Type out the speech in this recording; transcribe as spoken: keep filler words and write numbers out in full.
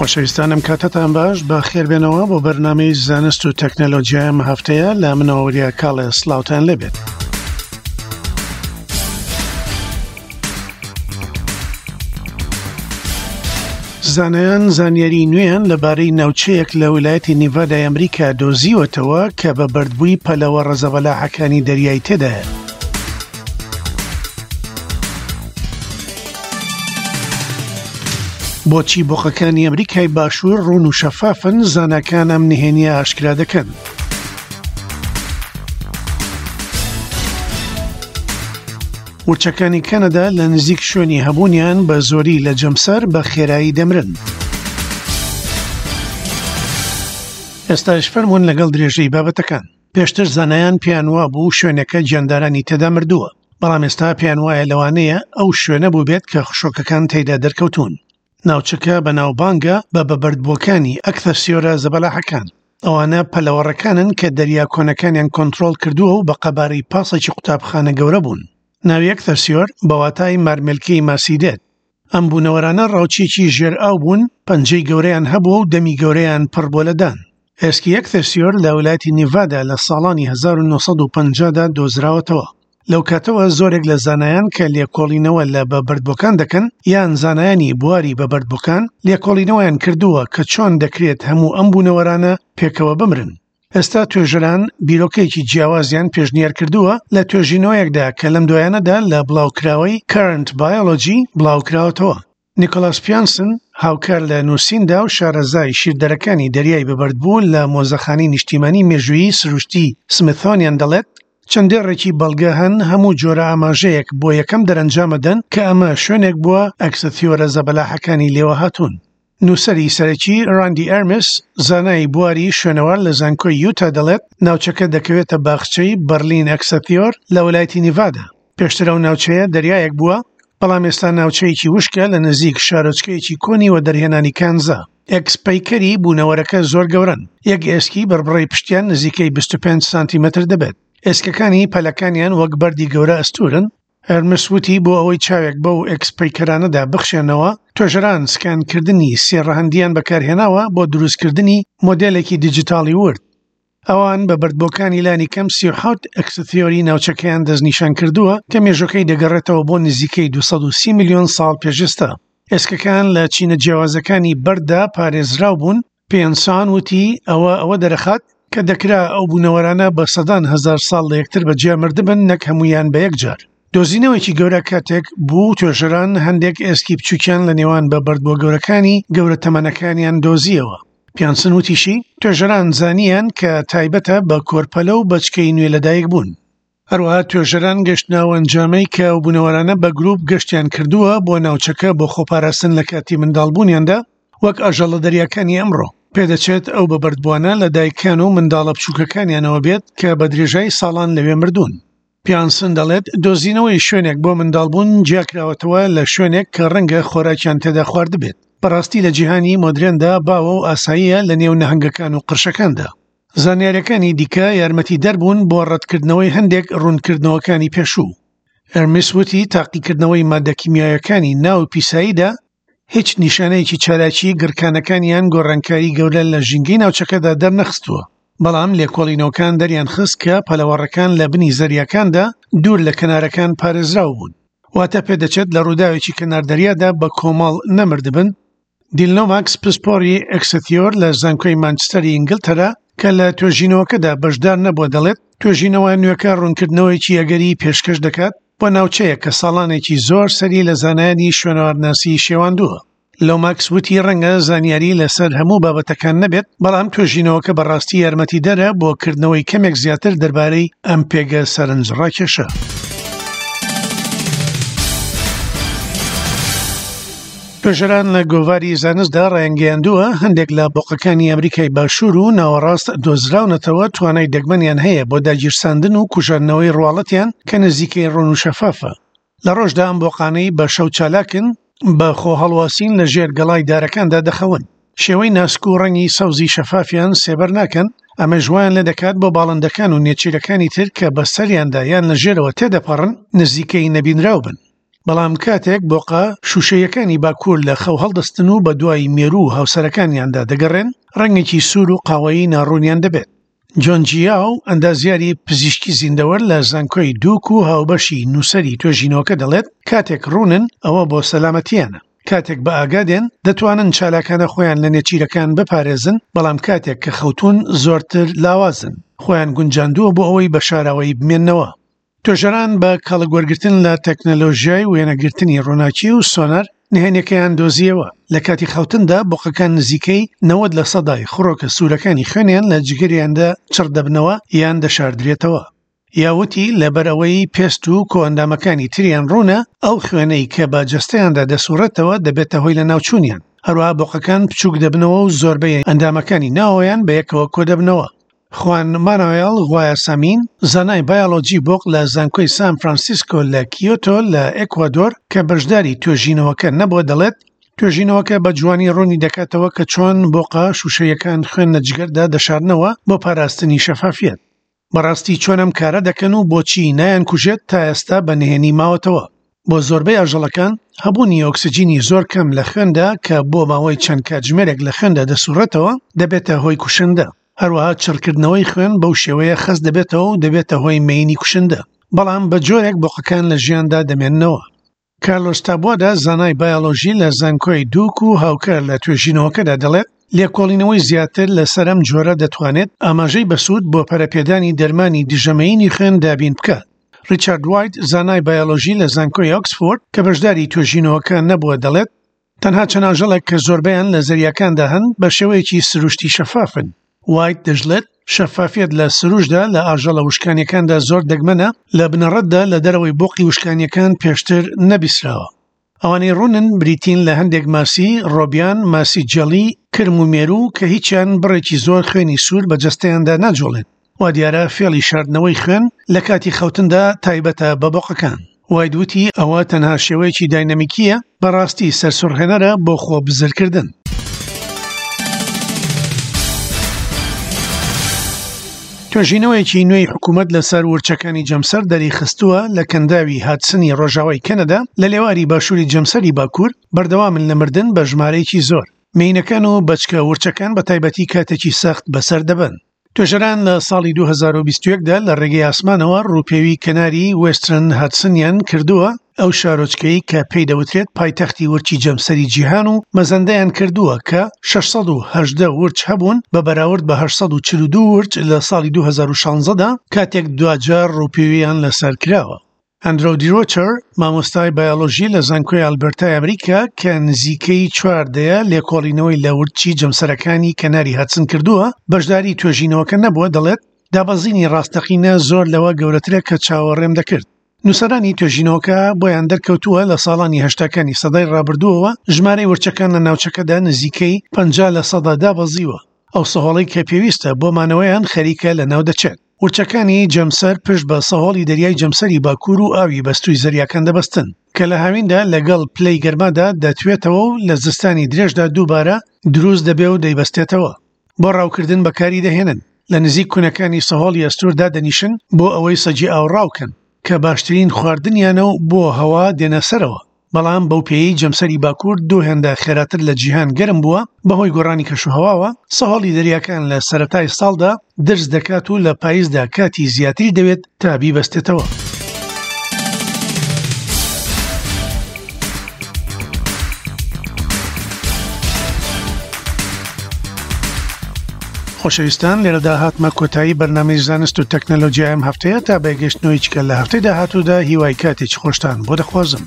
خۆشەویستانم کاتتان باش، بەخێربێنەوە بۆ بەرنامەی زانست و تەکنەلۆژیای ئەم هەفتەیە. لە منەوە وریا کاڵێ سڵاوتان لێبێت. زانایان زانیاری نوێیان لەبارەی ناوچەیەک لە ویلایەتی نیڤادای ئەمریکا دۆزیوەتەوە کە بە بەردبووی پەلەوە ڕەزەبەلاحەکانی دەریای تێدایە. بۆچی بۆقەکانی ئەمریکای باشوور ڕوون و شەفافن؟ زاناکان ئەم نهێنیە ئاشکرا دەکەن. ورچەکانی کەنەدا لە نزیک شوێنی هەبوونیان بە زۆری لە جەمسەر بە خێرایی دەمرن. ئێستاش فەرمونون لەگەڵ درێژەی بابەتەکان. پێشتر زانایان پێیان وابوو شوێنەکە گیاندارانی تێدا مردووە، بەڵام ئێستا پێیان وایە لەوانەیە ئەو شوێنە بوو بێت کە خشۆکەکان تێیدا دەرکەوتون. ناوچەکە بەناوبانگە بە بەبەردبووەکانی ئەکثەسیۆرە زەبەلاحەکان. ئەوانە پەلەوەڕەکانن کە دەریا کۆنەکانیان کۆنترۆڵ کردووە و بە قەبارەی پاسێکی قوتابخانە گەورە بوون. ناوی ئەکثەسیۆر بە واتای مارمێلکەی ماسی دێت. ئەم بوونەوەرانە ڕاوچێکی ژێر ئاو بوون، پەنجەی گەورەیان هەبووە و دەمی گەورەیان پڕ بووە لە دان. ئێسکی ئەکثەسیۆر لە ویلایەتی نیڤادا لە ساڵانی هەزار و نۆ سەد و پەنجا دا دۆزراوەتەوە. لەو کاتەوە زۆرێک لە زانایان کە لێکۆڵینەوە لە بەبەردبووەکان دەکەن یان زانایانی بواری بەبەردبووەکان لێکۆڵینەوەیان کردووە کە چۆن دەکرێت هەموو ئەم بوونەوەرانە پێکەوە بمرن. ئێستا توێژەران بیرۆکەیەکی جیاوازیان پێشنیار کردووە لە توێژینەوەیەکدا کە لەم دوایانەدا لە بڵاوکراوەی Current Biology بڵاوکراوەتەوە. نیکۆلاس پیانسن هاوکار لە نووسیندا و شارەزای شیردەرەکانی دەریای بەبەردبوو لە مۆزەخانەی نیشتیمانی مێژوویی سروشتی سمیثۆنیان دەڵێت چەند دێڕێکی بەڵگە هەن هەموو جۆرە ئاماژەیەک بۆ یەکەم دەرەنجامەدەن کە ئەمە شوێنێک بووە ئەکسەتیۆرە زەبەلاحەکانی لێوە هاتوون. نووسەری سەرەکی ڕاندی ئەرمس زانای بواری شوێنەوار لە زانکۆی یوتا دەڵێت ناوچەکە دەکەوێتە باخچەی بەرلین ئەکسەتیۆر لە ویلایەتی نیڤادا. پێشتر ئەو ناوچەیە دەریایەک بووە، بەڵام ئێستا ناوچەیەکی وشکە لە نزیک شارۆچکەیەکی کۆنی وە دەرهێنانی کانزا. ئێکسپەیکەری بوونەوەرەکە زۆر گەورەن، یەک ئێسکی بەربڕەی پشتیان نزیکەی بیست و پێنج سانتیمەتر دەبێت. ئێسکەکانی پەلەکانیان وەک بەردی گەورە ئەستورن. هەرمس وتی بۆ ئەوەی چاوێک بەو ئێکسپەیکەرانەدا بخشێنەوە، توێژەران سکانکردنی سێ ڕەهەندیان بەکارهێناوە بۆ دروستکردنی مۆدێلێکی دیجیتاڵی ورد. ئەوان بە بەردبووەکانی لانی کەم سی و حەوت ئەکسەتیۆری ناوچەکەیان دەستنیشان کردووە کە مێژوەکەی دەگەڕێتەوە بۆ نزیکەی دوو سەد و سی ملیۆن ساڵ پێشێستا. ئێسکەکان لە چینە جیاوازەکانی بەرددا پارێزراو بوون. پێنسان وتی ئەوە ئەوە دەرەخات کە دەکرا ئەو بوونەوەرانە بە سەدان هەزار ساڵ لە یەکتر بەجیا مردبن نەک هەمویان بە یەک جار. دۆزینەوەیەکی گەورە کاتێک بوو توێژەران هەندێک ئێسکی بچووکیان لە نێوان بە بەردبووە گەورەکانی گەورە تەمەنەکانیان دۆزیەوە. پیانسن وتیشی توێژەران زانیان کە تایبەتە بە کۆرپەلە و بەچکەی نوێ لەدایک بوون. هەروەها توێژەران گەشتناوە ئەنجامەی کە ئەو بوونەوەرانە بە گروپ گەشتیان کردووە بۆ ناوچەکە بۆ خۆپاراستن لە کاتی منداڵبوونیاندا وەک ئاژەڵە دەریاکانی ئەمڕۆ. پێدەچێت ئەو بەبەردبووانە لە دایکان و منداڵە بچووکەکانیانەوە بێت کە بە درێژای ساڵان لەوێ مردوون. پیانسن دەڵێت دۆزینەوەی شوێنێک بۆ منداڵبوون جیاکراوەتەوە لە شوێنێک کە ڕەنگە خۆراکیان تێدا خواردبێت. بەڕاستی لە جیهانی مۆدرێندا باوە و ئاساییە لە نێو نەهەنگەکان و قرشەکاندا. زانیاریەکانی دیکە یارمەتی دەربوون بۆ ڕەتکردنەوەی هەندێک ڕوونکردنەوەکانی پێشوو. ئەرمس وتی تاقیکردنەوەی مادە کیمیایەکانی ناو پیساییدا هیچ نیشانەیەکی چالاکی گڕکانەکانیان گۆڕانکاری گەورە لە ژینگەی ناوچەکەدا دەرنەخستووە، بەڵام لێکۆڵینەوەکان دەریان خست کە پەلەوەڕەکان لە بنی زەریاکاندا دوور لە کەنارەکان پارێزراو بوون. واتە پێدەچێت لە ڕووداوێکی کەنار دەریادا بە کۆمەڵ نەمردبن. دیلنۆماکس پسپۆری ئەکسەتیۆر لە زانکۆی مانچستەری ئینگلتەرا کە لە توێژینەوەکەدا بەشدار نەبووە دەڵێت توێژینەوە نوێکە ڕوونکردنەوەیەکی ئەگەری پێشکەش دەکات بۆ ناوچەیە کە ساڵانێکی زۆر سەری لە زانایانی شوێنەوارناسی شێواندووە. لۆماکس وتی ڕەنگە زانیاری لەسەر هەموو بابەتەکان نەبێت، بەڵام توێژینەوەکە بەڕاستی یارمەتی دەرە بۆ کردنەوەی کەمێک زیاتر دەربارەی ئەم پێگە سەرنج ڕاکێشە. توێژەران لە گۆڤاری زانستدا ڕایانگەیاندووە هەندێک لە بۆقەکانی ئەمریکای باشوور و ناوەڕاست دۆزراونەتەوە توانای دەگمەنیان هەیە بۆ داگیرساندن و کوژاندنەوەی ڕواڵەتیان کە نزیکەی ڕوون و شەفافە. لە ڕۆژدا ئەم بۆقانەی بە شەو چالاکن بە خۆهەڵواسین لە ژێر گەڵای دارەکاندا دەخەون. شێوەی ناسک و ڕەنگی سەوزی شەفافیان سێبەر ناکەن، ئەمەش وایان لێ دەکات بۆ باڵندەکان و نێچیرەکانی تر کە بەسەریاندا یان لە ژێرەوە تێدەپەڕن نزیکەی نەبینراو بن. بەڵام کاتێک بۆقە شوشەیەکانی باکوور لە خەو هەڵدەستن و بە دوای مێروو و هاوسەرەکانیاندا دەگەڕێن، ڕەنگێکی سوور و قاوەیی ناڕوونیان دەبێت. جۆن جیاو، ئەندازیاری پزیشکی زیندەوەر لە زانکۆی دوک و هاوبەشی نووسەری توێژینەوەکە دەڵێت، کاتێک ڕوونن ئەوە بۆ سەلامەتیانە. کاتێک بە ئاگا دێن دەتوانن چالاکانە خۆیان لە نێچیرەکان بپارێزن، بەڵام کاتێک کە خەوتون زۆرتر لاوازن. خۆیان گونجاندووە بۆ ئەوەی بە شاراوەیی بمێننەوە. توێژەران بە کەڵک وەرگرتن لە تەکنەلۆژیای وێنەگرتنی ڕووناکی و سۆنەر نهێنیەکەیان دۆزیەوە. لە کاتی خەوتندا بۆقەکان نزیکەی نەوەد لە سەدای خڕۆکە سوورەکانی خوێنیان لە جگەریاندا چڕ دەبنەوە یان دەشاردرێتەوە. یاوتی لەبەر ئەوەی پێست و کۆئەندامەکانی تریان ڕوونە، ئەو خوێنەی کە بە جەستەیاندا دەسوڕێتەوە دەبێتە هۆی لەناوچوونیان. هەروەها بۆقەکان بچووک دەبنەوە و زۆربەی ئەندامەکانی ناوەیان بەیەکەوە کۆدەبنەوە. خوان مانوێل غوایاسامین، زانای بایۆلۆجی بۆق لە زانکۆی سان فرانسیسکۆ لە کیۆتۆ لە ئێکوادۆر کە بەشداری توێژینەوەکە نەبووە دەڵێت، توێژینەوەکە بە جوانی ڕوونی دەکاتەوە کە چۆن بۆقە شوشەیەکان خوێن لە جگەردا دەشارنەوە بۆ پاراستنی شەفافیەت. بەڕاستی چۆن ئەم کارە دەکەن و بۆچی نایان کوژێت تا ئێستا بە نهێنی ماوەتەوە. بۆ زۆربەی ئاژەڵەکان هەبوونی ئۆکسجینی زۆر کەم لە خوێندا کە بۆ ماوەی چەند کاتژمێرێک لە خوێندا دەسوڕێتەوە دەبێتە هۆی کوشندە. هەروەها چڕکردنەوەی خوێن بەو شێوەیە خەست دەبێتەوە و دەبێتە هۆی مەینی کوشندە، بەڵام بە جۆرێک بۆقەکان لە ژیاندا دەمێننەوە. کارلۆس تابوادا، زانای بایۆلۆژی لە زانکۆی دوک و هاوکار لە توێژینەوەکەدا دەڵێت، لێکۆڵینەوەی زیاتر لەسەر ئەم جۆرە دەتوانێت ئاماژەی بەسوود بۆ پەرەپێدانی دەرمانی دژەمەیینی خوێن دابین بکات. ڕیچارد وایت، زانای بایۆلۆژی لە زانکۆی ئۆکسفۆرد کە بەشداری توێژینەوەکە نەبووە دەڵێت، تەنها چەند ئاژەڵێک کە زۆربەیان لە زەریاکاندا هەن بە شێوەیەکی سروشتی شەفافن. وایت دەشڵێت، شەفافیەت لە سروشتدا لە ئاژەڵە وشکانیەکاندا زۆر دەگمەنە، لە بنەڕەتدا لە دەرەوەی بۆقی وشکانیەکان پێشتر نەبیسراوە. ئەوانەی ڕوونن بریتین لە هەندێک ماسی، ڕۆبیان، ماسی جەڵی، کرم و مێروو کە هیچیان بڕێکی زۆر خوێنی سوور بە جەستەیاندا ناجوڵێن. وا دیارە فێڵی شاردنەوەی خوێن لە کاتی خەوتندا تایبەتە بە بۆقەکان. وایت وتی ئەوە تەنها شێوەیەکی داینامیکیە، بەڕاستی سەرسوڕهێنەرە بۆ خۆ بزرکردن. توێژینەوەیەکی نوێی حکوومەت لەسەر ورچەکانی جەمسەر دەریخستووە لە کەنداوی هادسنی ڕۆژاوای کەنەدا لە لێواری باشووری جەمسەری باکوور بەردەوامن لە مردن بە ژمارەیەکی زۆر. مێینەکان و بەچکە ورچەکان بە تایبەتی کاتێکی سەخت بەسەر دەبەن. توێژەران لە ساڵی دوو هەزار و بیست و یەک دا لە ڕێگەی ئاسمانەوە ڕووپێوی کەناری وێسترن هادسنیان کردووە، ئەو شارۆچکەی کە پێی دەوترێت پایتەختی ورچی جەمسەری جیهان، و مەزەندەیان کردووە کە شەش سەد و هەژدە ورچ هەبوون بە بەراورد بە هەشت سەد و چل و دوو ورچ لە ساڵی دوو هەزار و شانزە دا کاتێک دواجار ڕووپێویان لەسەر کراوە. ئەندرۆ دیرۆچەر، مامۆستای بایۆلۆژی لە زانکۆی ئالبەرتای ئەمریکا کە نزیکەی چوار دەیە لێکۆڵینەوەی لە ورچی جەمسەرەکانی کەناری هادسن کردووە، بەشداری توێژینەوەکە نەبووە، دەڵێت دابەزینی ڕاستەقینە زۆر لەوە گەورەترە کە چاوەڕێم دەکرد. نووسەرانی توێژینەوەکە بۆیان دەرکەوتووە لە ساڵانی هەشتاکانی سەدای ڕابردووەوە ژمارەی ورچەکان لە ناوچەکەدا نزیکەی پەنجا لە سەدا دابەزیوە. ئەو سەهۆڵەی کە پێویستە بۆ مانەوەیان خەریکە لەناو دەچێت. ورچەکانی جەمسەر پشت بە سەهۆڵی دەریای جەمسەری باکوور و ئاوی بەستووی زەریاکان دەبەستن کە لە هاویندا لەگەڵ پلەی گەرمادا دەتوێتەوە و لە زستانی درێژدا دووبارە دروست دەبێ و دەیبەستێتەوە. بۆ ڕاوکردن بەکاری دەهێنن. لە نزیک کونەکانی سەهۆڵی ئەستوور دادەنیشن بۆ ئەوەی سەگی ئاو ڕاوکەن کە باشترین خواردنیانە و بۆ هەوا دێنە سەرەوە. بەڵام بەو پێیەی جەمسەری باکوور دوو هێندە خێراتر لە جیهان گەرم بووە بەهۆی گۆڕانی کەشوهەواوە، سەهۆڵی دەریاکان لە سەرەتای ساڵدا درز دەکات و لە پاییزدا کاتی زیاتری دەوێت تا بیبەستێتەوە. خۆشەویستان، لێرەدا هاتمە کۆتایی بەرنامەی زانست و تەکنەلۆژیای ئەم هەفتەیە. تا بەگەشتنەوەی چکە لە هەفتەی داهاتوودا هیوای کاتێکی خۆشتان بۆ دەخوازم.